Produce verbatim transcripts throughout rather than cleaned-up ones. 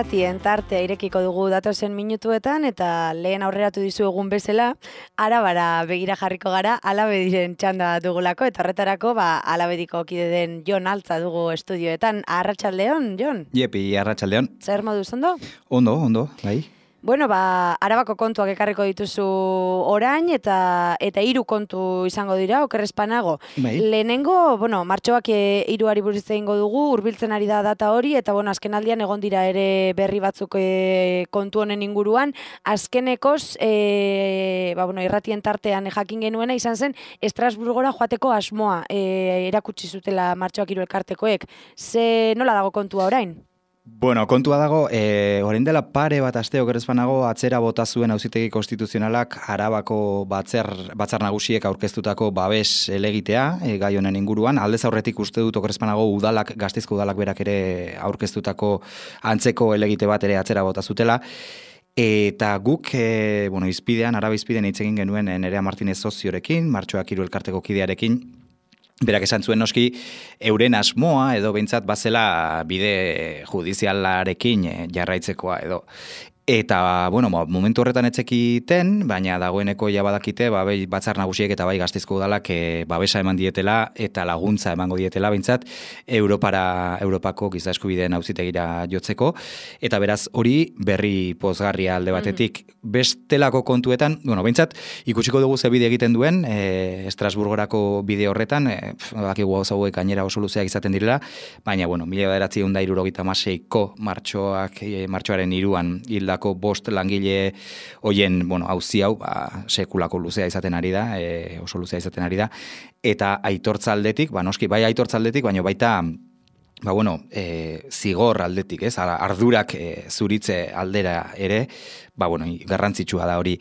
irratien tartea irekiko dugu datozen minutuetan eta lehen aurreratu dizuegun bezala, Arabara begira jarriko gara, Alabediren txanda dugulako eta horretarako ba, Alabediko kide den Jon Altza dugu estudioetan. Arratsaldeon, Jon? Jepi, arratsaldeon. Zer moduz, ondo? Ondo, ondo, bai. Bueno, ba, Arabako kontuak ekarriko dituzu orain eta eta hiru kontu izango dira, okerrezpanago. Bai. Lehenengo, bueno, martxoak e, hiruari buruz egingo dugu, hurbiltzen ari da data hori, eta bueno, azkenaldian egon dira ere berri batzuk e, kontu honen inguruan. Azkenekoz, e, ba, bueno, irratien tartean jakin genuena izan zen, Estrasburgora joateko asmoa e, erakutsi zutela martxoak hiru elkartekoek. Ze nola dago kontua orain? Bueno, kontua dago, e, orain dela pare bat aste okerrezpanago atzera bota zuen Auzitegi Konstituzionalak Arabako batzar, batzar nagusiek aurkeztutako babes elegitea e, gai honen inguruan. Aldez aurretik uste dut okerrezpanago udalak, Gasteizko udalak berak ere aurkeztutako antzeko elegite bat ere atzera bota zutela. Eta guk, e, bueno, izpidean, Araba izpidean hitz egin genuen Nerea Martinez soziorekin, martxoak hiru elkarteko kidearekin, berak esan zuen noski euren asmoa edo behintzat bazela bide judizialarekin jarraitzekoa edo. Eta, bueno, momentu horretan etzekiten, baina dagoeneko ja badakite, ba, bai batzar nagusiek eta bai Gasteizko udalak e, babesa eman dietela eta laguntza emango dietela behintzat Europara, Europako giza eskubideen auzitegira jotzeko. Eta beraz hori berri pozgarria alde batetik. Mm-hmm. Bestelako kontuetan, bueno, behintzat ikusiko dugu ze bide egiten duen, e, Estrasburgorako bide horretan, e, bakigu hau zauek gainera oso luzeak izaten direla, baina, bueno, mila bederatziehun eta hirurogeita hamaseiko martxoak, e, martxoaren hiruan hildako bost langile hoien, bueno, auzi hau, ba, sekulako luzea izaten ari da, e, oso luzea izaten ari da, eta aitortza aldetik, ba, noski, bai aitortza aldetik, baina baita, ba, bueno, e, zigor aldetik, ez, ardurak e, zuritze aldera ere, ba, bueno, garrantzitsua da hori.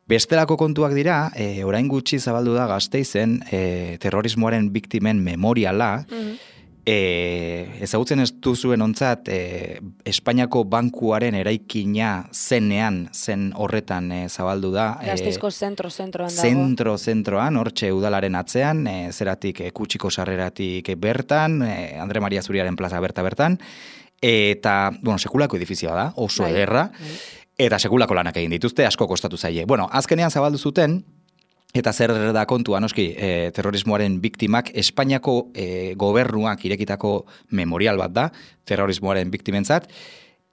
Bestelako kontuak dira, e, orain gutxi zabaldu da Gasteizen, e, terrorismoaren biktimen memoriala, mm-hmm. E, ezagutzen ez duzuen ontzat, e, Espainiako bankuaren eraikina zenean, zen horretan e, zabaldu da. Gasteizko zentro-zentroan dago. Zentro-zentroan, hortxe udalaren atzean, e, zeratik e, kutsiko sarreratik bertan, e, Andre Maria Zuriaren plaza berta-bertan, eta, bueno, sekulako edifizioa da, oso bai, ederra, bai. Eta sekulako lanak egin dituzte, asko kostatu zaie. Bueno, azkenean zabaldu zuten, eta zer da kontua, noski, e, terrorismoaren biktimak Espainiako e, gobernuak irekitako memorial bat da, terrorismoaren biktimentzat,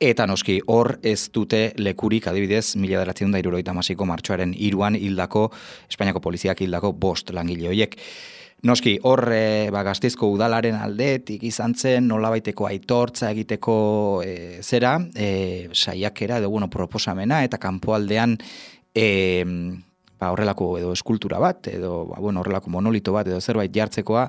eta noski, hor ez dute lekurik adibidez, mila bederatziehun eta hirurogeita hamaseiko martxoaren hiruan hildako, Espainiako poliziak hildako bost langile horiek. Noski, hor e, ba, Gasteizko udalaren aldetik izan zen, nolabaiteko aitortza egiteko e, zera, e, saiakera edo bueno, proposamena, eta kanpoaldean e, ba, horrelako edo eskultura bat, edo ba, bueno, horrelako monolito bat, edo zerbait jartzekoa,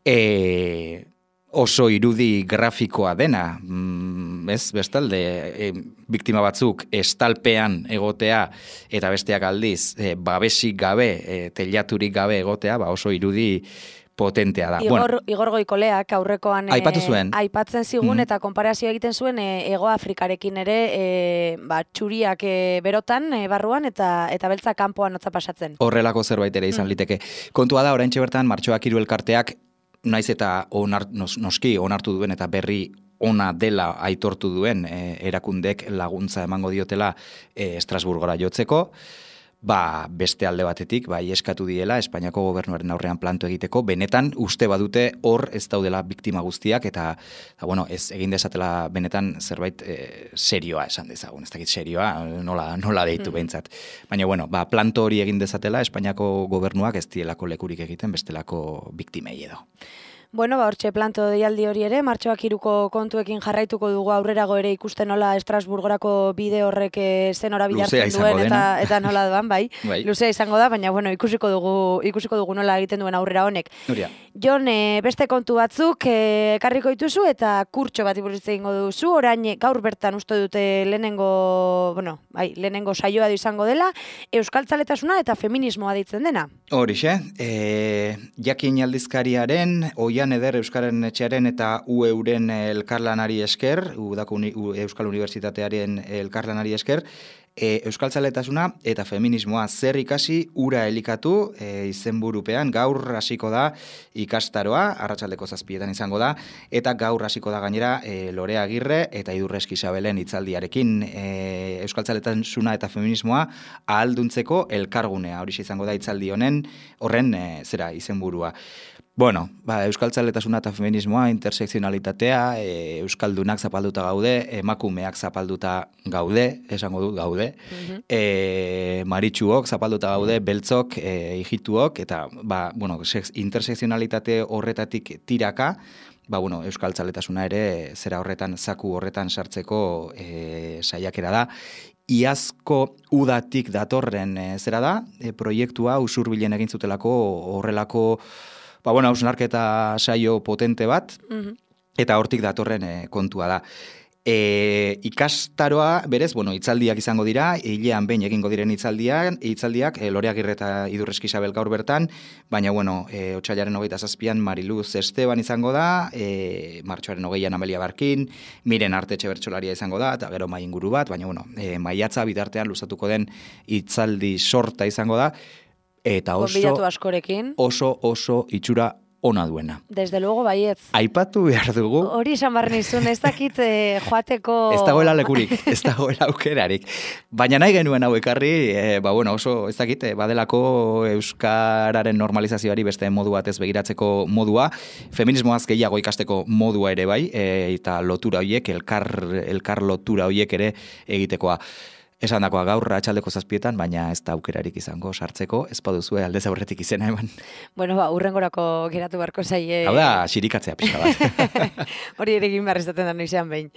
e, oso irudi grafikoa dena, mm, ez, bestalde, e, biktima batzuk estalpean egotea, eta besteak aldiz, e, babesik gabe, e, telaturik gabe egotea, ba, oso irudi potentea da. Igor, bueno, Igor Goikoleak aurrekoan aipatu zuen. E, aipatzen zigun mm-hmm. eta konparazio egiten zuen e, Ego Afrikarekin ere e, ba, txuriak e, berotan e, barruan eta eta beltza kanpoan hotza pasatzen. Horrelako zerbait ere izan mm. liteke. Kontua da, oraintxe bertan martxoak hiru elkarteak naiz eta onar, nos, noski onartu duen eta berri ona dela aitortu duen e, erakundek laguntza emango diotela e, Estrasburgora jotzeko. Ba, beste alde batetik, bai eskatu diela Espainiako gobernuaren aurrean planto egiteko, benetan uste badute hor ez daudela biktima guztiak, eta, eta bueno, ez egin dezatela benetan zerbait e, serioa esan dezagun, ez dakit serioa, nola, nola deitu mm. behintzat. Baina, bueno, ba, planto hori egin dezatela Espainiako gobernuak ez dielako lekurik egiten bestelako biktimei edo. Bueno, ba, hortxe planto deialdi hori ere, martxoak hiruko kontuekin jarraituko dugu aurrerago ere ikusten nola Estrasburgorako bide horrek zen ora bilartzen duen eta, eta nola doan, bai. bai. Luzea izango da, baina bueno, ikusiko dugu, ikusiko dugu nola egiten duen aurrera honek. Nuria. Jon, e, beste kontu batzuk ekarriko e, dituzu eta kurtxo bat iburuz egingo duzu, orain gaur bertan uste dute lehenengo, bueno, bai, lehenengo saioa du izango dela, euskaltzaletasuna eta feminismoa deitzen dena. Horixe, e, jakin aldizkariaren, oian eder Euskaren etxearen eta U E-uren elkarlanari esker, Udako uni, U, Euskal Unibertsitatearen elkarlanari esker, e, euskaltzaletasuna eta feminismoa zer ikasi ura elikatu e, izenburupean gaur hasiko da ikastaroa, arratsaldeko zazpietan izango da, eta gaur hasiko da gainera e, Lorea Agirre eta Idurreski Isabelen hitzaldiarekin e, euskaltzaletasuna eta feminismoa ahalduntzeko elkargunea, hori izango da hitzaldi honen horren e, zera izenburua. Bueno, ba, euskaltzaletasuna eta feminismoa, intersekzionalitatea, e, euskaldunak zapalduta gaude, emakumeak zapalduta gaude, esango dut gaude, mm-hmm. e, maritxuok zapalduta gaude, beltzok, e, hijituok, eta ba, bueno, intersekzionalitate horretatik tiraka, ba, bueno, euskaltzaletasuna ere zera horretan, zaku horretan sartzeko e, saiakera da. Iazko udatik datorren e, zera da, e, proiektua usurbilen egin zutelako horrelako ba, bueno, hausnarketa saio potente bat, mm-hmm. eta hortik datorren e, kontua da. E, ikastaroa, berez, bueno, hitzaldiak izango dira, hilean behin egingo diren hitzaldiak, hitzaldiak e, Lorea Agirre eta Idurreski Isabel gaur bertan, baina, bueno, e, otsailaren hogeita zazpian Mariluz Esteban izango da, e, martxoaren hogeian Amelia Barkin, Miren Artetxe bertsolaria izango da, eta gero mai inguru bat, baina, bueno, e, maiatza bitartean luzatuko den hitzaldi sorta izango da, eta oso, askorekin. oso, oso itxura ona duena. Desde luego, baietz. Aipatu behar dugu. Hori esan barren izun, ez dakit eh, joateko... Ez dagoela lekurik, ez dagoela aukerarik. Baina nahi genuen hau ekarri, eh, ba bueno, oso, ez dakit, eh, badelako euskararen normalizazioari beste modu batez begiratzeko modua, feminismoaz gehiago ikasteko modua ere bai, eh, eta lotura horiek, elkar, elkar lotura horiek ere egitekoa. Esan dakoa gaur atxaldeko zazpietan, baina ez da aukerarik izango sartzeko, ez baduzue aldez aurretik izena eman. Bueno, ba, urrengorako geratu barko zaie. Hau da, xirikatzea pixka bat. Hori ere egin behar izaten da noizean behin.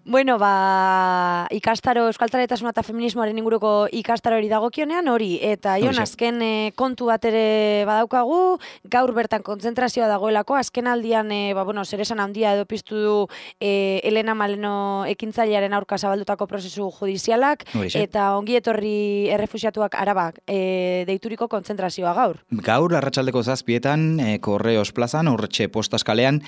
Bueno, ba, ikastaro, euskaltzaletasuna eta feminismoaren inguruko ikastaro hori dagokionean, hori, eta Jon, azken e, kontu bat ere badaukagu, gaur bertan kontzentrazioa dagoelako, azken aldian, e, ba, bueno, zeresan handia edo piztu du e, Elena Maleno ekintzailearen aurka zabaldutako prozesu judizialak, Horixe. Eta ongi etorri errefuxiatuak Arabak e, deituriko kontzentrazioa gaur. Gaur, arratsaldeko zazpietan, e, Korreos plazan, horretxe postaskalean,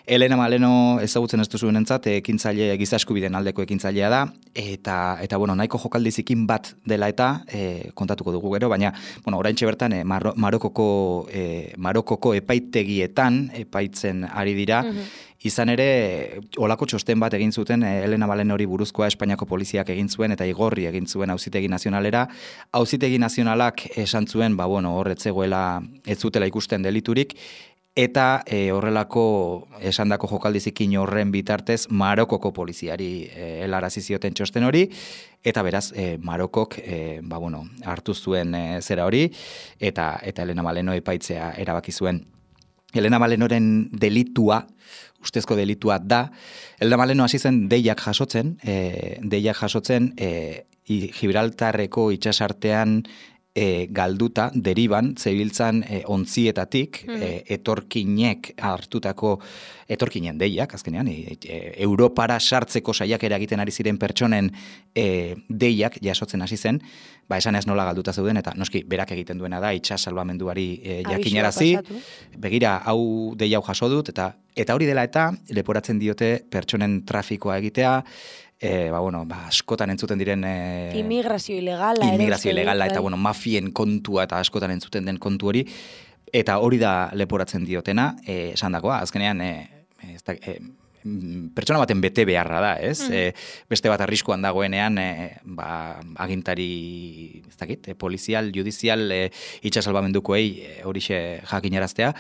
Elena Maleno ezagutzen ez duzuen entzat, ekintzaile gizasko biden aldeko ekintzailea da, eta, eta bueno, nahiko jokaldi zikin bat dela eta e, kontatuko dugu gero, baina, bueno, oraintxe bertan, e, Mar- Marokoko, e, Marokoko epaitegietan epaitzen ari dira, mm-hmm. Izan ere, olako txosten bat egin zuten, e, Elena Maleno hori buruzkoa Espainiako poliziak egin zuen, eta igorri egin zuen Auzitegi Nazionalera. Auzitegi Nazionalak esan zuen, ba, bueno, horretzegoela ez zutela ikusten deliturik, eta e, horrelako esandako jokaldizikin horren bitartez Marokoko poliziari e, helarazi zioten txosten hori, eta beraz e, Marokok e, ba, bueno, hartu zuen e, zera hori, eta eta Elena Maleno epaitzea erabaki zuen. Elena Malenoren delitua, ustezko delitua da, Elena Maleno hasi zen deiak jasotzen, e, deiak jasotzen e, Gibraltarreko itsasartean E, galduta, deriban, zebiltzan e, ontzietatik, mm. e, etorkinek hartutako, etorkinen deiak, azkenean, e, e, Europara sartzeko saiakera egiten ari ziren pertsonen e, deiak jasotzen hasi zen, ba, esan ez nola galduta zeuden, eta noski, berak egiten duena da, itxas salbamenduari e, jakinarazi, begira, hau dei hau jaso dut, eta eta hori dela eta, leporatzen diote pertsonen trafikoa egitea, E, ba, bueno, ba, askotan entzuten diren... E, Immigrazio ilegala. Immigrazio ilegala, eta bueno, mafien kontua eta askotan entzuten den kontu hori. Eta hori da leporatzen diotena, e, esan dakoa, azkenean, e, ez da, e, pertsona baten bete beharra da, ez? Mm. E, beste bat arriskuan dagoenean, e, ba, agintari, ez dakit, e, polizial, judizial, e, itxasalbamendukoei e, horixe jakinaraztea.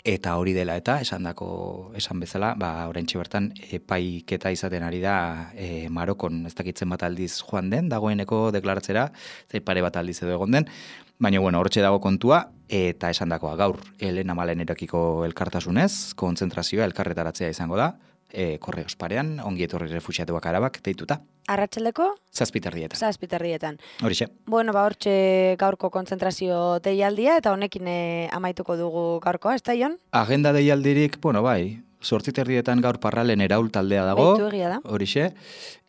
Eta hori dela eta, esandako esan bezala, ba, oraintxe bertan, epaiketa izaten ari da e, Marokon, ez dakitzen bat aldiz joan den, dagoeneko deklaratzera, zei pare bat aldiz edo egon den, baina, bueno, hortxe dago kontua, eta esandakoa gaur, Elena Malenerekiko elkartasunez, kontzentrazioa, elkarretaratzea izango da, e, Korreos parean, ongi etorri refuxiatuak Arabak, deituta. Arratsaldeko? Zazpiterdietan. Zazpiterdietan. Horixe. Bueno, ba, hortxe gaurko kontzentrazio deialdia, eta honekin eh, amaituko dugu gaurkoa, ez da, Jon? Agenda deialdirik, bueno, bai, sortzi terdietan gaur Parralen Eraul taldea dago. Beitu egia da. Horixe.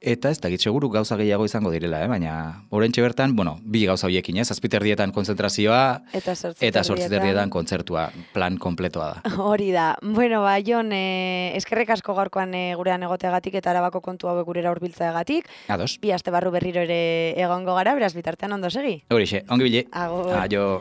Eta ez dakit seguru gauza gehiago izango direla, eh? Baina oraintxe bertan, bueno, bi gauza horiekin, ez? Zazpi terdietan konzentrazioa eta eta sortzi terdietan kontzertua, plan kompletoa da. Hori da. Bueno, ba, Jon, eh, eskerrek asko gaurkoan eh, gurean egoteagatik eta Arabako kontu hauek gurera hurbiltzeagatik. Ados. Bi aste barru berriro ere egongo gara, beraz bitartean ondo segi. Horixe, ongi bile. Agur. Aio.